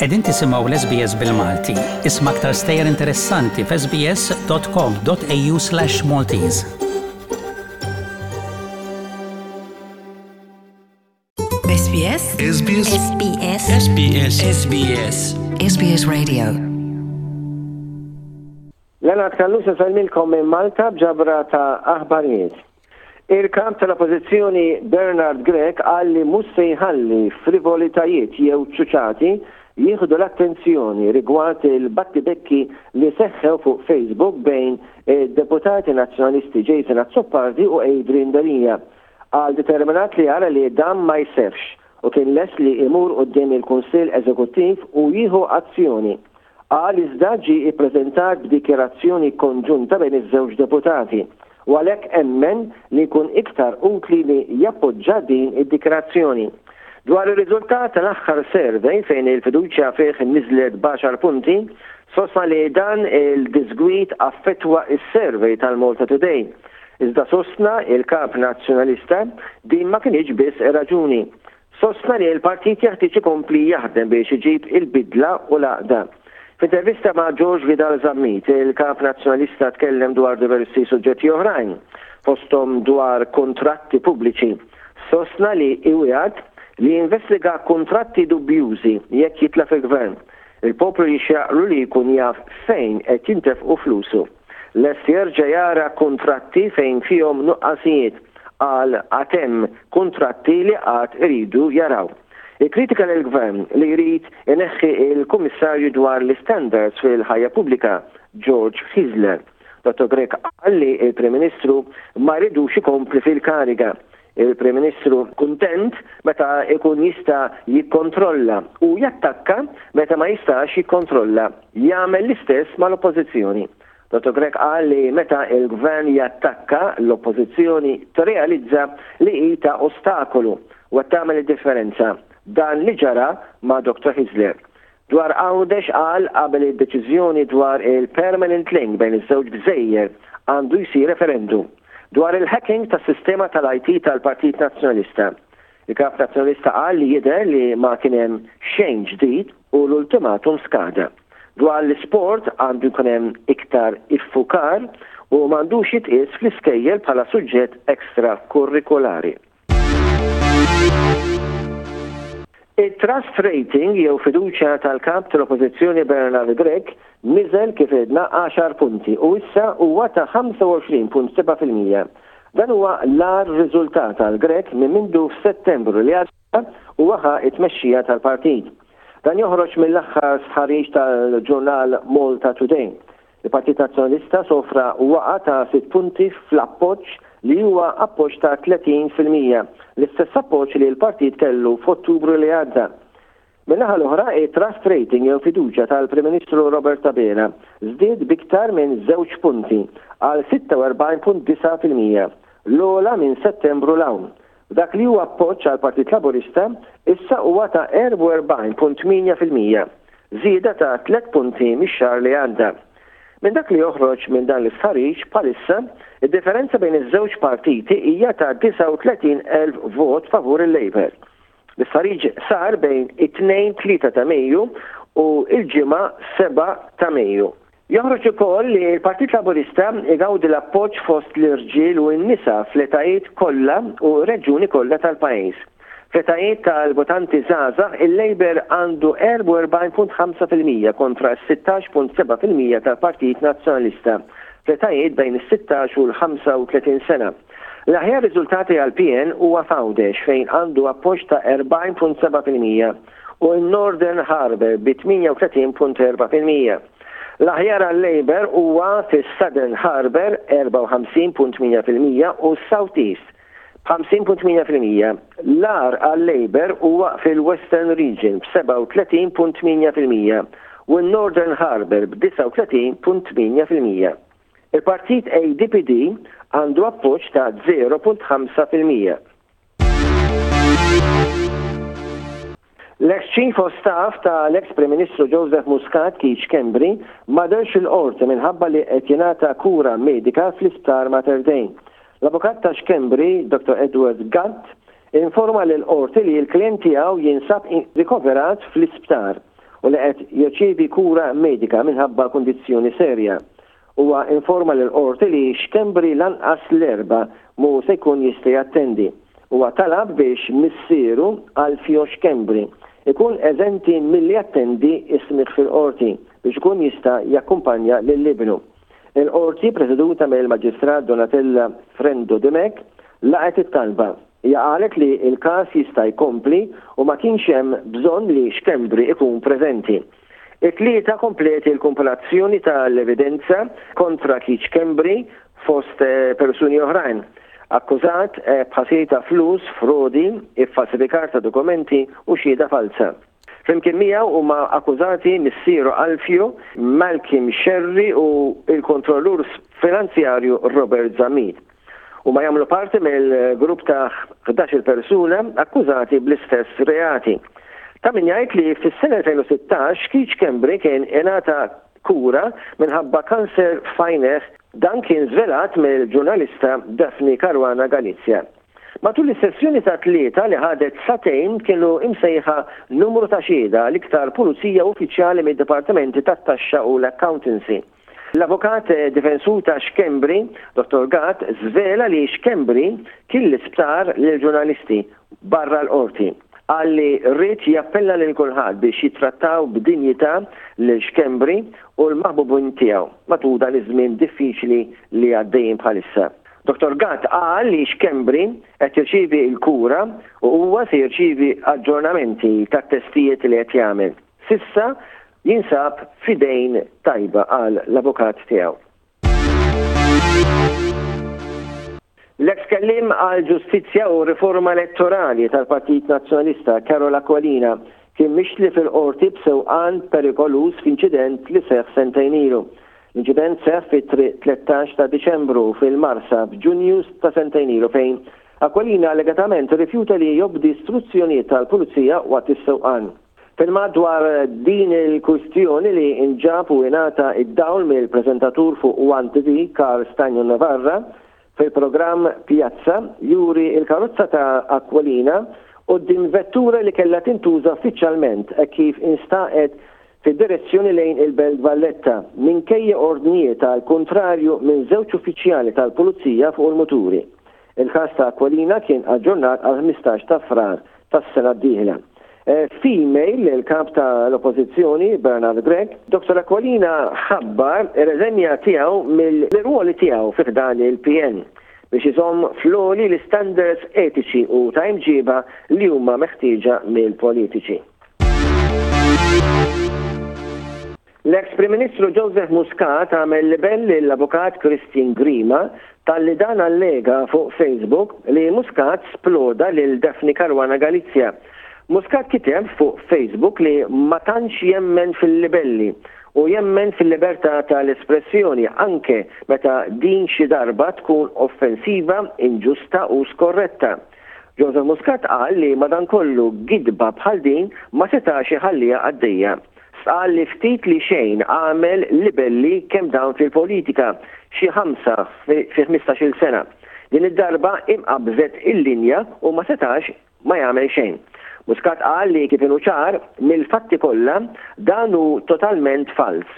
Qegħdin tisimgħu l-SBS bil-Malti. Isma' aktar stejjer interessanti f'sbs.com.au/maltese. SBS SBS SBS SBS SBS SBS Radio Leonard Callus isellmilkom minn Malta b'ġabra ta' aħbarijiet. Il-kap tal-Oppożizzjoni Bernard Grech qal li mhux se jħalli frivolitajiet jew ċuċati jieħdu l-attenzjoni rigward il-battibekki li seħħew fuq Facebook bejn id-Deputati Nazzjonalisti Jason Azzopardi u Adrian Delia. Qal determinat li jara li dan ma jseħħx u kien lest li imur quddiem il-Kunsill Eżekuttiv u jieħu azzjoni. Qal iżda ġie ippreżentat b'dikjarazzjoni konġunta bejn iż-żewġ deputati u għalhekk emmen li jkun iktar utli li jappoġġa din id-dikjarazzjoni. Dwar ir-riżultat tal-aħħar survey fejn il-fiduċja fih niżlet b'għaxar punti, sostna li dan il-diżgwid affettwa s-survey tal-Malta Today. Iżda sostna il-Kap Nazzjonalista din ma kinitx biss raġuni. Sostna li l-partit jeħtieġ ikompli jaħdem biex iġib il-bidla u l-għaqda. F'intervista ma' George Vidal Zammit, il-Kap Nazzjonalista tkellem dwar diversi suġġetti oħrajn, fosthom dwar kuntratti pubbliċi. Sostna li iwiegħed li jinvestiga kuntratti dubjużi jekk jitla' fil-Gvern. Il-poplu jixraqlu li jkun jaf fejn qed jintefqu flusu. Lest jerġa' jara kuntratti fejn fihom nuqqasijiet, qal għad hemm kuntratti li għad iridu jaraw. Ikkritika lill-Gvern li jrid ineħħi l-Kummissarju dwar l-Istandards fil-Ħajja Pubblika, George Hyzler. Dottor Grech qal li l-Prim Ministru ma jridux ikompli fil-kariga. Il-Prim Ministru kuntent meta jkun jista' jikkontrolla u jattakka meta ma jistax jikkontrolla. Jagħmel l-istess mal-Oppożizzjoni. Dottor Grech qal li meta l-Gvern jattakka, l-Oppożizzjoni tirrealizza li hi ta' ostakolu u qed tagħmel id-differenza. Dan li ġara ma' Dottor Hyzler. Dwar Għawdex qal qabel id-deċiżjoni dwar il-permanent link bejn iż-żewġ gżejjer għandu jsir referendum dwar il-hacking tas-sistema tal-IT tal-Partit Nazzjonalista. Il-Kap Nazzjonalista qal li jidher li ma kien hemm xejn ġdid u l-ultimatum skada. Dwar l-isport għandu jkun hemm iktar iffukar u m'għandux jitqies fl-iskejjel bħala suġġett extra-kurrikulari. It-trust rating jew fiduċja tal-Kap tal-Oppożizzjoni Bernard Grech niżel kif għedna għaxar punti u issa huwa ta' 25.7%. Dan huwa l-agħar riżultat għal Grech minn mindu f'Settembru li għadda huwa ħa t-tmexxija tal-partit. Dan joħroġ mill-aħħar stħarriġ tal-ġurnal Malta Today. Il-Partit Nazzjonalista sofra waqgħa ta' sitt punti fl-appoġġ li huwa appoġġ ta' 30%, l-istess appoġġ li l-partit kellu f'Ottubru li għadda. Min-naħa l-oħra, it-trust rating jew fiduċja tal-Prim Ministru Robert Abela żdied b'iktar minn żewġ punti għal 46.9%, l-ogħla minn Settembru 'l hawn. F'dak li huwa appoġġ għall-Partit Laburista, issa huwa ta' 44.8%, żieda ta' tlett punti mix-xahar li għadda. Minn dak li joħroġ minn dan l-istħarriġ, bħalissa, id-differenza bejn iż-żewġ partiti hija ta' 39,000 vot favur il-Labour. L-istħarriġ sar bejn it-Tnejn 3 ta' Mejju u l-Ġimgħa 7 ta' Mejju. Joħroġ ukoll li l-Partit Laburista igawdi l-appoġġ fost l-irġiel u n-nisa fl-etajiet kollha u reġjuni kollha tal-pajjiż. Fl-etajiet tal-votanti żgħażagħ, il-Labour għandu 44.5% kontra s-16.7% tal-Partit Nazzjonalista fl-etajiet bejn is-16 u l-35 sena. L-aħjar riżultati għall-PN huwa f'Għawdex fejn għandu appoġġ ta' 40.7% u n-Northern Harbour bi 38.4%. L-aħjar għal-Labour huwa fis-Southern Harbour 54.8% u s-South East b'50.8%. L-agħar għal-Labour huwa fil-Western Region b'37.8% u n-Northern Harbour b'39.8%. Il-partit ADPD għandu appoġġ ta' 0.5%. L-eks Chief of Staff ta' l-eks Prim Ministru Joseph Muscat Keith Schembri ma dehrx il-Qorti minħabba li qed jingħata kura medika fl-Isptar Mater Dei. L-avukat ta' Schembri, Dottor Edward Gatt, informa lill-Qorti li l-klijent tiegħu jinsab rikoverat fl-isptar. u li qed jirċievi kura medika minħabba kundizzjoni serja. Huwa informa lill-Qorti li Schembri lanqas l-Erbgħa mhu se jkun jista' jattendi. Huwa talab biex missieru, Alfio Schembri, ikun eżenti milli jattendi s-smigħ fil-Qorti biex ikun jista' jakkumpanja lil ibnu. Il-Qorti, preseduta mill-Maġistrat Donatella Frendo Dimech, laqgħet it-talba. Hija qalet li l-każ jista' jkompli u ma kienx hemm bżonn li Schembri ikun preżenti. It-Tlieta kompliet il-kumpilazzjoni tal-evidenza kontra Keith Schembri fost persuni oħrajn, akkużat b'ħasil ta' flus, frodi, iffalsifikar ta' dokumenti u xhieda falza. Flimkien miegħu huma akkużati missieru Alfio, Malcolm Scerri u l-kontrollur finanzjarju Robert Zammit. Huma jagħmlu parti mill-grupp ta' 11-il persuna akkużati bl-istess reati. Ta' min jgħid li fis-sena 2016 Keith Schembri kien ingħata kura minħabba kanser f'għajnejh. Dan kien żvelat mill-ġurnalista Daphne Caruana Galizia. Matul is-sessjoni tat-Tlieta li ħadet sagħtejn kienu imsejħa numru ta' xhieda, l-iktar pulizija u uffiċjali mid-dipartimenti tat-taxxa u l-accountancy. L-avukat difensur ta' Schembri, Dottor Gatt, żvela li Schembri kien l-isptar lill-ġurnalisti barra l-Qorti. Qal li ried jappella lil kulħadd biex jittrattaw b'dinjità lil Schembri u l-maħbubin tiegħu matul dan iż-żmien diffiċli li għaddejjin bħalissa. Dottor Gatt qal li Schembri qed jirċievi l-kura u huwa se jirċievi aġġornamenti tat-testijiet li qed jagħmel. S'issa jinsab f'idejn tajba, qal l-avukat tiegħu. L-eks kelliem għall-Ġustizzja u Riforma Elettorali tal-Partit Nazzjonalista Karol Aquilina kien mixli fil-Qorti b'sewqan perikoluż f'inċident li seħħ sentejn ilu. L-inċident seħħ fit-triq 13 ta' Diċembru fil-Marsa f'Ġunju ta' sentejn ilu fejn Aquilina allegatament irrifjuta li jobdi struzzjonijiet tal-Pulizija waqt is-sewqan. Filmat dwar din il-kwistjoni li nġab u ingħata d-dawl mill-preżentatur fuq One TV, Karl Stagno Navarra, fil-programm Pjazza, juri l-karozza ta' Aquilina quddiem vettura li kellha tintuża uffiċjalment hekk kif instaqet fid-direzzjoni lejn il-Belt Valletta, minkejja ordnijiet għall-kuntrarju minn żewġ uffiċjali tal-Pulizija fuq il-muturi. Il-każ ta' Aquilina kien aġġornat għall-15 ta' Frar tas-sena d-dieħla. F'email lill-Kap ta' l-Oppożizzjoni, Bernard Grech, Dottor Aquilina ħabbar ir-reżenja tiegħu mill-irwoli tiegħu fi ħdan il-PN biex iżomm fl-għoli l-istandards etiċi u ta' imġieba li huma meħtieġa mill-politiċi. L-eks Prim Ministru Joseph Muscat għamel libell lill-Avukat Christian Grima talli dan allega fuq Facebook li Muscat sploda lil Daphne Caruana Galizia. Muscat kiteb fuq Facebook li ma tantx jemmen fil-libelli u jemmen fil-libertà tal-espressjoni anke meta din xi darba tkun offensiva, inġusta u skorretta. Joseph Muscat qal li madankollu gidba bħal din ma setax iħalliha għaddejja. Stqarr li ftit li xejn għamel libelli kemm dam fil-politika, xi ħamsa fi ħmistax-il sena. Din id-darba imqabbżet il-linja u ma setax ma jagħmel xejn. Muscat qal li kif inhu ċar mill-fatti kollha dan hu totalment falz.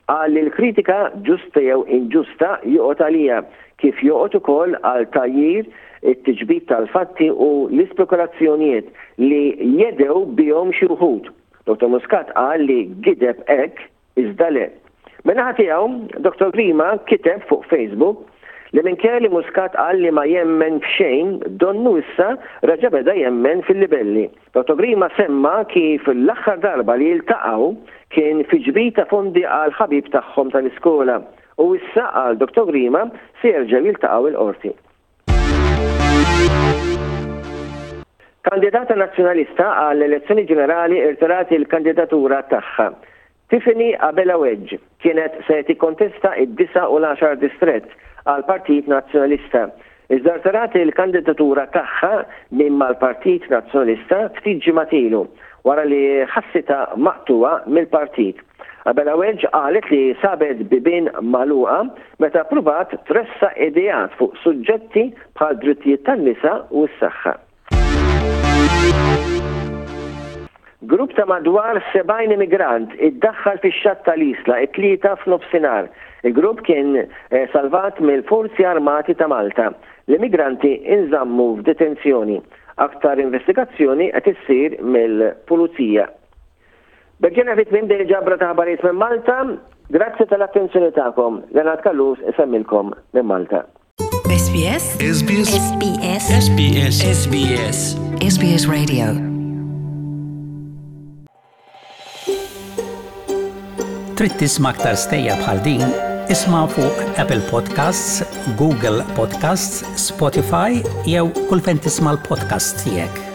Qal li l-kritika ġusta jew inġusta joqgħod għaliha, kif joqgħod ukoll għal tgħajjir, it-tiġbid tal-fatti u l-ispekulazzjonijiet li jedhew bihom xi wħud. Dottor Muscat qal li gideb hekk iżda le. Min-naħa tiegħu, Dottor Grima kiteb fuq Facebook li minkejja li Muscat qal li ma jemmen f'xejn, donnu issa reġa' beda jemmen fil-libelli. Dottor Grima semma kif l-aħħar darba li ltaqgħu kien fi ġbid ta' fondi għal ħabib tagħhom tal-iskola u issa, qal Dottor Grima, se jerġgħu jiltaqgħu l-Qorti. Kandidata Nazzjonalista għall-elezzjoni ġenerali irtirat il-kandidatura tagħha. Tiffany Abela Wedge kienet se tikkontesta id-disa' u l-għaxar distrett għall-Partit Nazzjonalista, iżda rtirat il-kandidatura tagħha minn mal-Partit Nazzjonalista ftit ġimgħat ilu wara li ħassitha maqtugħa mill-partit. Abela Wedge qalet li sabet bibien magħluqa meta ppruvat tressaq ideat fuq suġġetti bħal drittijiet tan-nisa u s-saħħa. Grupp ta' madwar 70 immigrant iddaħħal fix-xatt tal-Isla t-Tlieta f'nofsinhar. Il-grupp kien salvat mill-Forzi Armati ta' Malta. L-immigranti nżammu f'detenzjoni. Aktar investigazzjoni qed issir mill-Pulizija. B'hekk ġejna fi tmiem din il-ġabra ta' aħbarijiet minn Malta. Grazzi tal-attenzjoni tagħkom. Leonard Callus isemmilkom minn Malta. SBS SBS SBS SBS SBS SBS Radio Trid tisma' aktar stejjer bħal din? Isma' fuq Apple Podcasts, Google Podcasts, Spotify jew kull fejn tisma' l-podcasts tiegħek.